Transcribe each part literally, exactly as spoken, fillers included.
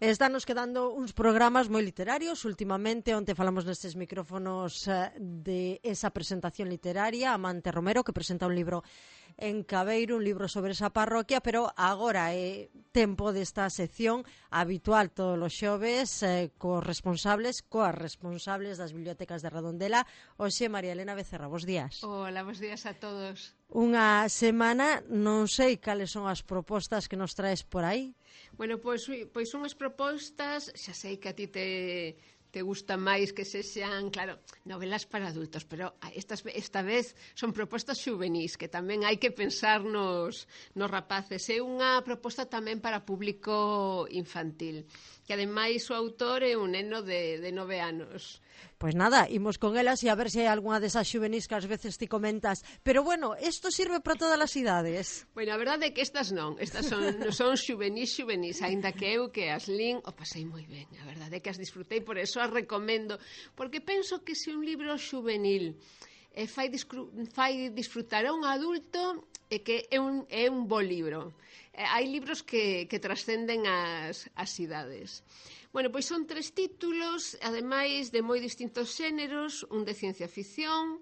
Estános quedando uns programas moi literarios últimamente, onde falamos nestes micrófonos de esa presentación literaria, Amante Romero, que presenta un libro en Cabeiro, un libro sobre esa parroquia, pero agora é tempo desta sección habitual todos os xoves eh, cos responsables, coas responsables das bibliotecas de Redondela. Oxe, María Elena Becerra, bos días. Hola, bos días a todos. Unha semana, non sei cales son as propostas que nos traes por aí. Bueno, pois, pois son as propostas, xa sei que a ti te... te gusta máis que sexan, claro, novelas para adultos, pero estas, esta vez son propostas xuvenís, que tamén hai que pensar nos, nos rapaces. É unha proposta tamén para público infantil, que ademais o autor é un neno de, de nove anos. Pois nada, imos con elas e a ver se hai algunha desas xuvenís que ás veces ti comentas. Pero bueno, isto sirve para todas as idades. Bueno, a verdade é que estas non, estas son, son xuvenís, xuvenís, aínda que eu que as lin o pasei moi ben, a verdade é que as disfrutei, por eso as recomendo, porque penso que se un libro xuvenil eh, fai, fai disfrutar a un adulto, é que é un, é un bo libro. Eh, hai libros que, que trascenden as, as idades. Bueno, pois son tres títulos, ademais de moi distintos xéneros, un de ciencia ficción,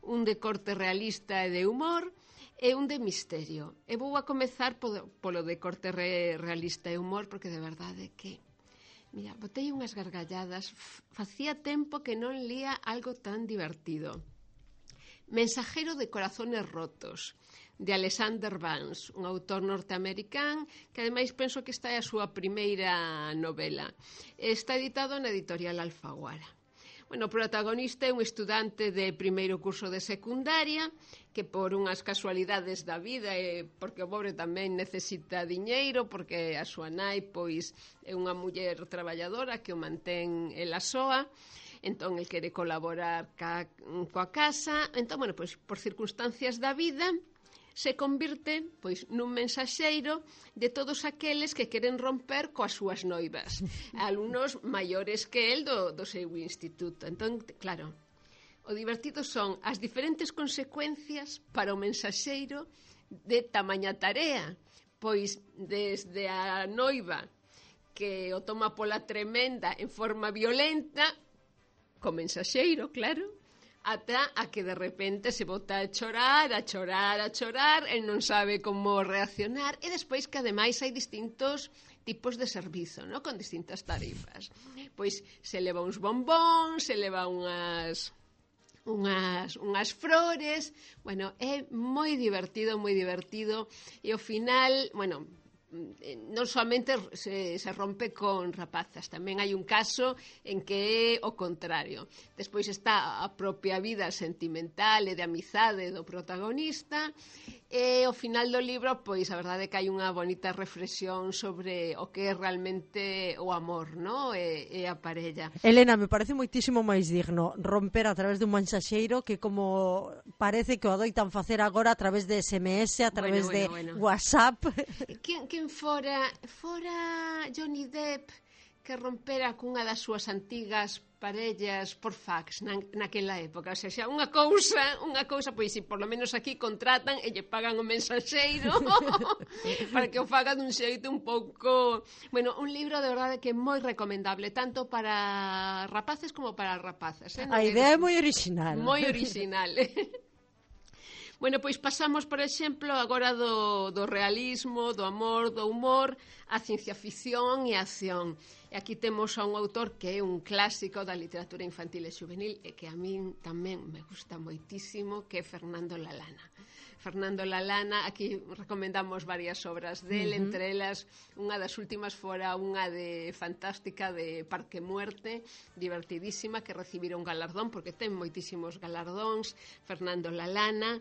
un de corte realista e de humor, e un de misterio. E vou a comezar polo, polo de corte re, realista e humor, porque de verdade que, mira, botei unhas gargalladas, facía tempo que non lía algo tan divertido. Mensajero de corazones rotos, de Alexander Vance, un autor norteamericán que ademais penso que esta é a súa primeira novela. Está editado na editorial Alfaguara. Bueno, o protagonista é un estudante de primeiro curso de secundaria que por unhas casualidades da vida e porque o pobre tamén necesita diñeiro porque a súa nai pois é unha muller traballadora que o mantén ela soa. Entón, el quere colaborar ca, coa casa. Entón, bueno, pois, por circunstancias da vida, se convirte pois nun mensaxeiro de todos aqueles que queren romper coas súas noivas, alumnos maiores que el do, do seu instituto. Entón, claro, o divertido son as diferentes consecuencias para o mensaxeiro de tamaña tarea, pois desde a noiva que o toma pola tremenda en forma violenta, co mensaxeiro, claro, ata a que de repente se bota a chorar, a chorar, a chorar, e non sabe como reaccionar, e despois que ademais hai distintos tipos de servizo, ¿no? Con distintas tarifas. Pois se leva uns bombóns, se leva unhas unhas, unhas flores, bueno, é moi divertido, moi divertido, e ao final, bueno, non somente se, se rompe con rapazas, tamén hai un caso en que é o contrario. Despois está a propia vida sentimental e de amizade do protagonista, e ao final do libro, pois a verdade é que hai unha bonita reflexión sobre o que é realmente o amor, ¿no? E, e a parella. Elena, me parece moitísimo máis digno romper a través dun mensaxeiro que como parece que o adoitan facer agora a través de S M S, a través bueno, bueno, de bueno. WhatsApp. Quen, quen fora, fora Johnny Depp que rompera cunha das súas antigas parellas por fax na, naquela época, o sea, xa unha cousa, unha cousa, pois si por lo menos aquí contratan e lle pagan o mensaxeiro para que o faga dun xeito un pouco, bueno, un libro de verdade que é moi recomendable, tanto para rapaces como para rapazas, eh? A idea é moi original. Moi original. Bueno, pois pasamos, por exemplo, agora do, do realismo, do amor, do humor, a ciencia ficción e a acción. E aquí temos a un autor que é un clásico da literatura infantil e juvenil e que a min tamén me gusta moitísimo, que é Fernando Lalana. Fernando Lalana, aquí recomendamos varias obras del, uh-huh. entre elas unha das últimas fora unha de fantástica de Parque Muerte, divertidísima, que recibiron galardón, porque ten moitísimos galardóns, Fernando Lalana.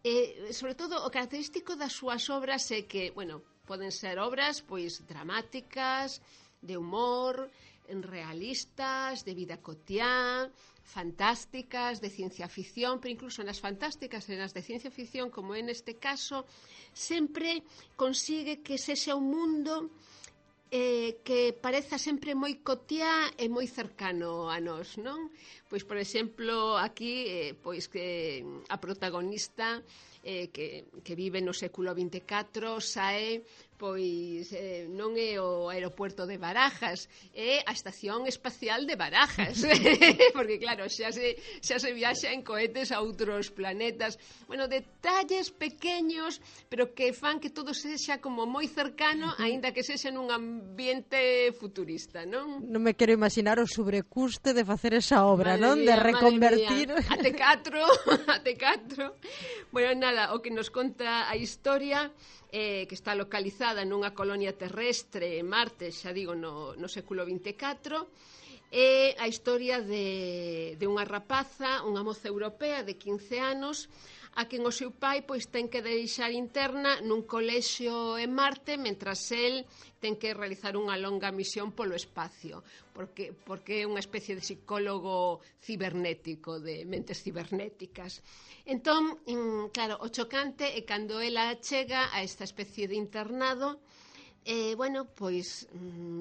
E, sobre todo, o característico das súas obras é que, bueno, poden ser obras pois dramáticas, de humor, realistas, de vida cotiá, fantásticas, de ciencia ficción, pero incluso nas fantásticas e nas de ciencia ficción, como é neste caso, sempre consigue que sexa un mundo eh, que pareza sempre moi cotiá e moi cercano a nós, non? Pois, por exemplo, aquí, eh, pois que a protagonista eh, que, que vive no século vinte e catro sae pois eh, non é o aeropuerto de Barajas, é a estación espacial de Barajas, porque claro, xa se, xa se viaxa en cohetes a outros planetas. Bueno, detalles pequeños, pero que fan que todo sexa como moi cercano, aínda que sexa nun ambiente futurista, non? Non me quero imaginar o sobrecuste de facer esa obra, Madre non? mía, De reconvertir... A T catro, a T catro. Bueno, nada, o que nos conta a historia eh, que está localizada nunha colonia terrestre en Marte, xa digo, no, no século vinte e catro, é a historia de, de unha rapaza, unha moza europea de quince anos, a quen o seu pai pois ten que deixar interna nun colexio en Marte, mentras el ten que realizar unha longa misión polo espacio, porque, porque é unha especie de psicólogo cibernético, de mentes cibernéticas. Entón, claro, o chocante é cando ela chega a esta especie de internado, eh, bueno, pois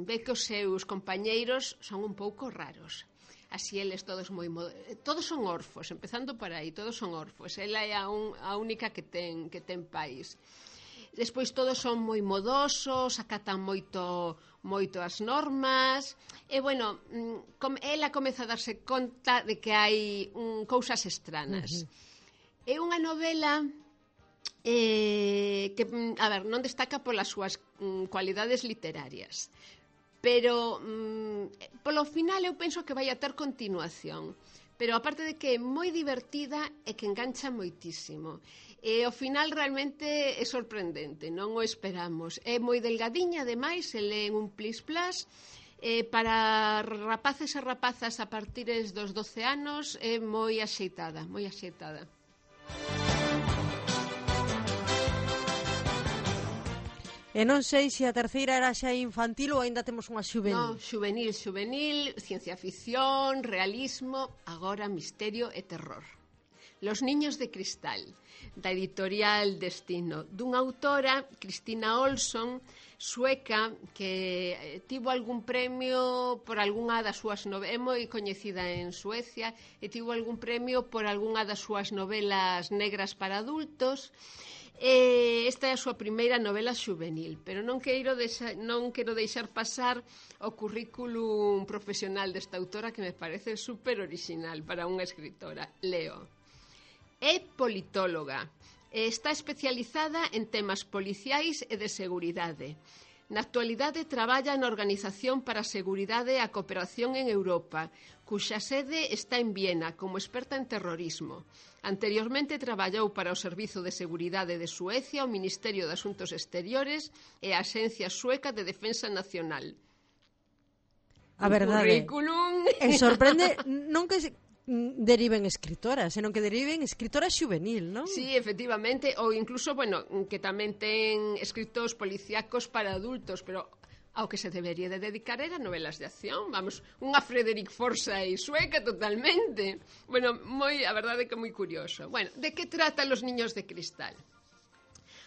ve que os seus compañeiros son un pouco raros. Así eles todos moi todos son orfos, empezando por aí, todos son orfos. Ela é a, un, a única que ten que ten país. Despois todos son moi modosos, acatan moito moito as normas. E bueno, com, ela comeza a darse conta de que hai um, cousas estranas. Uh-huh. É unha novela eh, que, a ver, non destaca polas súas mm, cualidades literarias, pero mm, polo final eu penso que vai a ter continuación, pero aparte de que é moi divertida e que engancha moitísimo, e ao final realmente é sorprendente, non o esperamos, é moi delgadiña, ademais, se lee en un plis plas, eh, para rapaces e rapazas a partir dos doce anos é moi axeitada, moi axeitada. E non sei se a terceira era xa infantil ou aínda temos unha xuvenil. Non, xuvenil, xuvenil, ciencia ficción, realismo, agora misterio e terror. Los niños de cristal, da editorial Destino, dunha autora, Cristina Olsson, sueca, que tivo algún premio por algunha das súas novelas, é moi coñecida en Suecia, e tivo algún premio por algunha das súas novelas negras para adultos. Eh, esta é a súa primeira novela xuvenil, pero non quero deixar, non quero deixar pasar o currículum profesional desta autora, que me parece super original para unha escritora. Leo. É politóloga. Está especializada en temas policiais e de seguridade. Na actualidade traballa na Organización para a Seguridade e a Cooperación en Europa, cuxa sede está en Viena como experta en terrorismo. Anteriormente traballou para o Servizo de Seguridade de Suecia, o Ministerio de Asuntos Exteriores e a Axencia Sueca de Defensa Nacional. A verdade. Currículum. E sorprende non que deriven escritoras, senón que deriven escritora xuvenil, non? Sí, efectivamente, ou incluso, bueno, que tamén ten escritos policíacos para adultos, pero ao que se debería de dedicar era novelas de acción, vamos, unha Frederick Forsyth sueca totalmente. Bueno, moi, a verdade que moi curioso. Bueno, de que trata Los niños de cristal?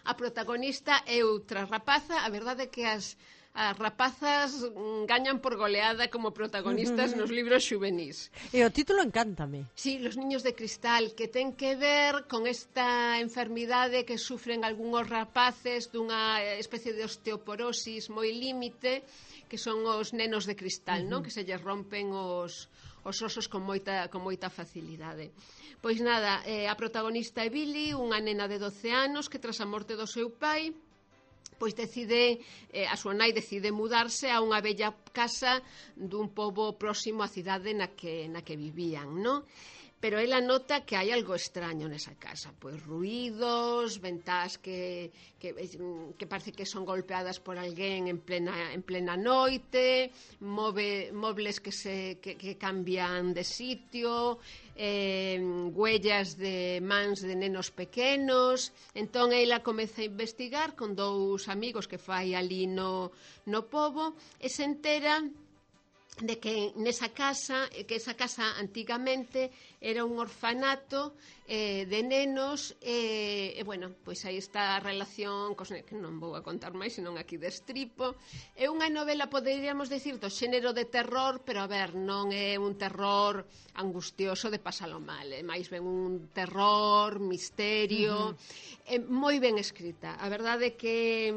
A protagonista é outra rapaza, a verdade é que as as rapazas gañan por goleada como protagonistas nos libros xuvenís. E o título encántame. Sí, Los niños de cristal, que ten que ver con esta enfermidade que sufren algúns rapaces dunha especie de osteoporosis moi límite, que son os nenos de cristal, uh-huh. non? Que se lles rompen os, os osos con moita, con moita facilidade. Pois nada, eh, a protagonista é Billy, unha nena de doce anos que tras a morte do seu pai pois decide, eh, a súa nai decide mudarse a unha bella casa dun pobo próximo á cidade na que, na que vivían, non? Pero ela nota que hai algo extraño nesa casa, pois ruídos, ventás que, que, que parece que son golpeadas por alguén en plena, en plena noite, move, mobles que, se, que, que cambian de sitio, eh, huellas de mans de nenos pequenos. Entón ela comeza a investigar con dous amigos que fai ali no, no pobo e se entera de que nesa casa, que esa casa antigamente era un orfanato eh, de nenos e, eh, bueno, pois aí está a relación cos, que non vou a contar máis, senón aquí destripo. É unha novela, poderíamos decir, do xénero de terror, pero a ver, non é un terror angustioso de pasalo mal, é máis ben un terror, misterio, uh-huh. É moi ben escrita. A verdade é que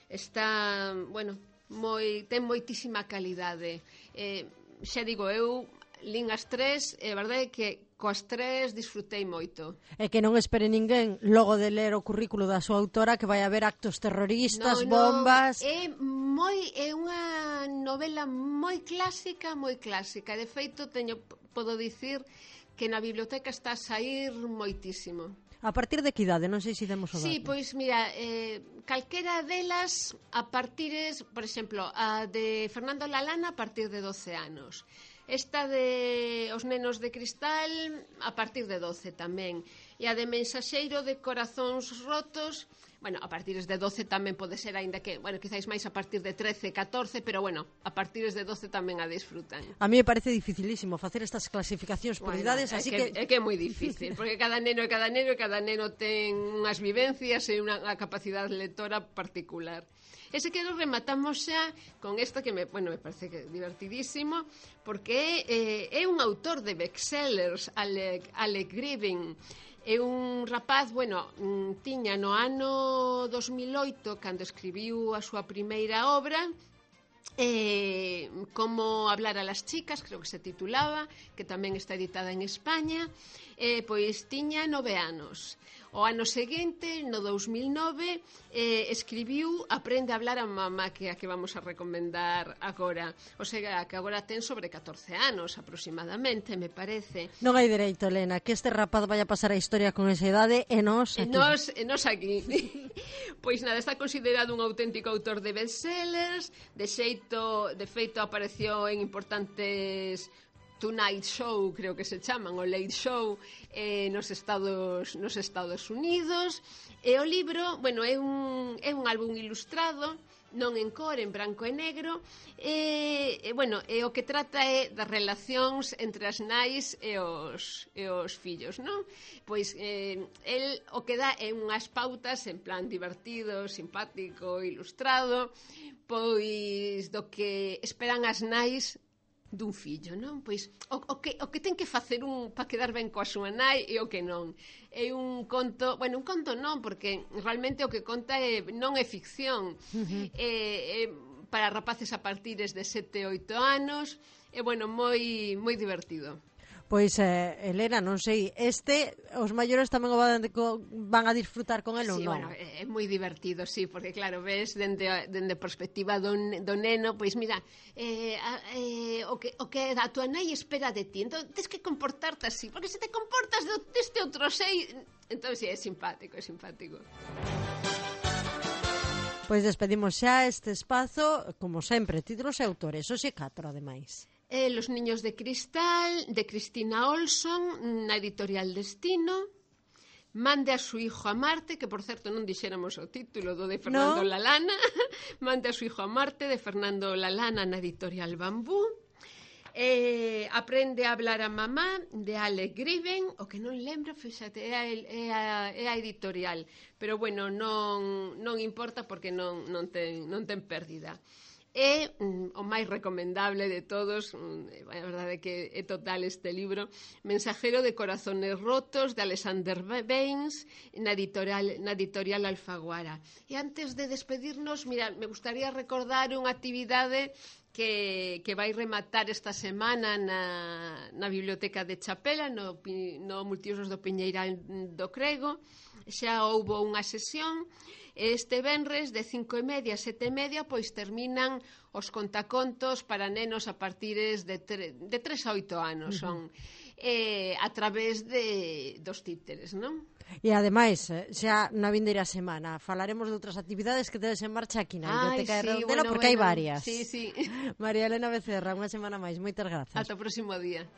está, bueno, moi, ten moitísima calidade. Eh, xa digo, eu lín as tres, e a verdade é que coas tres disfrutei moito. E que non espere ninguén logo de ler o currículo da súa autora que vai haber actos terroristas, no, bombas... No, é moi é unha novela moi clásica, moi clásica. De feito, teño podo dicir que na biblioteca está a sair moitísimo. A partir de que idade? Non sei se demos o dato. Sí, pois mira, eh, calquera delas a partires, por exemplo, a de Fernando Lalana a partir de doce anos. Esta de Os nenos de cristal a partir de doce tamén. E a de Mensaxeiro de corazóns rotos, bueno, a partir de doce tamén pode ser, aínda que, bueno, quizáis máis a partir de trece, catorce, pero bueno, a partir de doce tamén a disfrutan. A mí me parece dificilísimo facer estas clasificacións por bueno, idades, é así que, que... É que é moi difícil, porque cada neno e cada neno e cada neno ten unhas vivencias e unha, unha capacidade lectora particular. E se quero rematamos xa con isto que me, bueno, me parece que divertidísimo, porque é, é un autor de bestsellers, Alec, Alec Gribben. É un rapaz, bueno, tiña no ano dos mil oito, cando escribiu a súa primeira obra, eh, Como hablar a las chicas, creo que se titulaba, que tamén está editada en España, eh, pois tiña nove anos. O ano seguinte, no dous mil nove, eh, escribiu Aprende a hablar a mamá, que é a que vamos a recomendar agora. O sea, que agora ten sobre catorce anos aproximadamente, me parece. Non hai dereito, Elena, que este rapaz vaya a pasar a historia con esa idade e nos aquí. E nos, e nos aquí. Pois nada, está considerado un auténtico autor de bestsellers, de xeito, de feito apareció en importantes Tonight Show, creo que se chaman, o Late Show, eh, nos Estados nos Estados Unidos. E o libro, bueno, é un, é un álbum ilustrado, non en cor, en branco e negro, e, e bueno, e o que trata é das relacións entre as nais e os, e os fillos, non? Pois eh, el o que dá é unhas pautas en plan divertido, simpático, ilustrado, pois do que esperan as nais dun fillo, non? Pois o, o, que, o que ten que facer un para quedar ben coa súa nai e o que non. É un conto, bueno, un conto non, porque realmente o que conta é, non é ficción. Uh-huh. É, é para rapaces a partir de sete, oito anos, e bueno, moi moi divertido. Pois, eh, Elena, non sei, este, os maiores tamén o van, van a disfrutar con el ou sí, non? Bueno, é moi divertido, sí, porque claro, ves, dende a dende perspectiva do, do neno, pois mira, eh, eh, o, que, o que a tua nai espera de ti, entón tens que comportarte así, porque se te comportas de, deste outro sei, entón sí, é simpático, é simpático. Pois despedimos xa este espazo, como sempre, títulos e autores, hoxe catro, ademais. Eh, Los niños de cristal, de Cristina Olson, na editorial Destino. Mande a su hijo a Marte, que por certo non dixéramos o título do de Fernando no. Lalana. Mande a su hijo a Marte, de Fernando Lalana, na editorial Bambú. Eh, Aprende a hablar a mamá, de Alec Gribben. O que non lembro, fíxate, é a, é a, é a editorial, pero bueno, non, non importa porque non, non, ten, non ten pérdida. É mm, o máis recomendable de todos, mm, a verdade é que é total este libro, Mensajero de corazones rotos, de Alexander Baines, na editorial, na editorial Alfaguara. E antes de despedirnos, mira, me gustaría recordar unha actividade que, que vai rematar esta semana na, na Biblioteca de Chapela, no, no Multiusos do Piñeiral do Crego. Xa houbo unha sesión. Este venres de cinco e media a sete e media pois terminan os contacontos para nenos a partires de, tre de tres a oito anos, son eh, a través de dos títeres, non? E ademais, xa na vindeira semana falaremos de outras actividades que tedes en marcha aquí na Biblioteca Ay, sí, de Redondela, bueno, porque bueno, hai varias. Sí, sí. María Elena Becerra, unha semana máis, moitas grazas. Ata o próximo día.